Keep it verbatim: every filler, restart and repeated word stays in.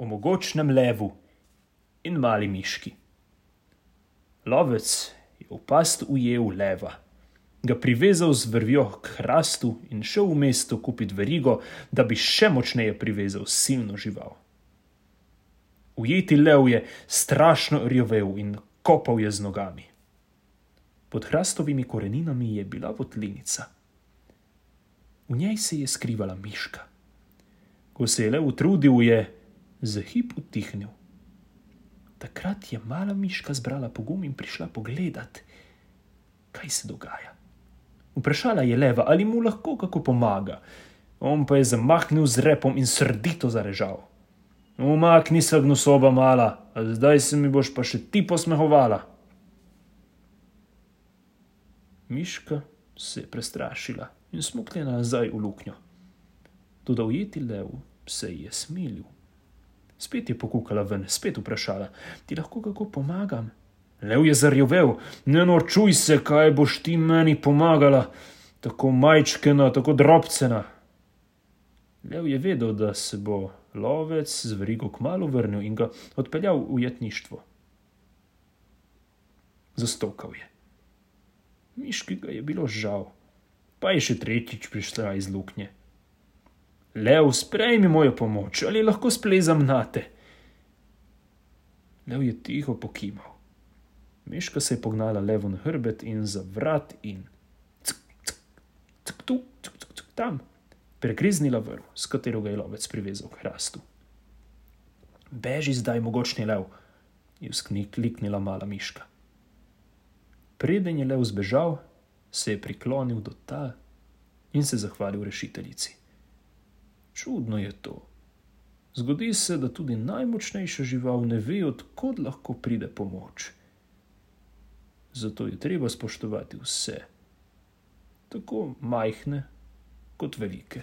o mogočnem levu in mali miški. Lovec je v past ujel leva, ga privezal z vrvjo k hrastu in šel v mesto kupit verigo, da bi še močneje privezal silno žival. Ujeti lev je strašno rjovel in kopal je z nogami. Pod hrastovimi koreninami je bila votlinica. V njej se je skrivala miška. Ko se je lev utrudil, je za hip utihnil. Takrat je mala miška zbrala pogum in prišla pogledat, kaj se dogaja. Vprašala je leva, ali mu lahko kako pomaga. On pa je zamahnil z repom in srdito zarežal. Umakni se, gnusoba mala, a zdaj se mi boš pa še ti posmehovala. Miška se je prestrašila in smuknila nazaj v luknjo. Toda ujeti lev se ji je smilil. Spet je pokukala ven, spet vprašala, ti lahko kako pomagam? Lev je zarjovel, ne norčuj se, kaj boš ti meni pomagala, tako majčkena, tako drobcena. Lev je vedel, da se bo lovec z verigo kmalu vrnil in ga odpeljal v ujetništvo. Zastokal je. Miški ga je bilo žal, pa je še tretjič prišla iz luknje. Lev, sprejmi mojo pomoč, ali lahko splezam nate? Lev je tiho pokimal. Miška se je pognala levu na hrbet in za vrat in ck, ck, ck, tu, ck, ck, ck, tam pregriznila vrv, s katero ga je lovec privezal k hrastu. Beži zdaj, mogočni lev, je vzkliknila mala miška. Preden je lev zbežal, se je priklonil do tal in se zahvalil rešiteljici. Čudno je to. Zgodi se, da tudi najmočnejša žival ne ve, od kod lahko pride pomoč. Zato je treba spoštovati vse, tako majhne kot velike.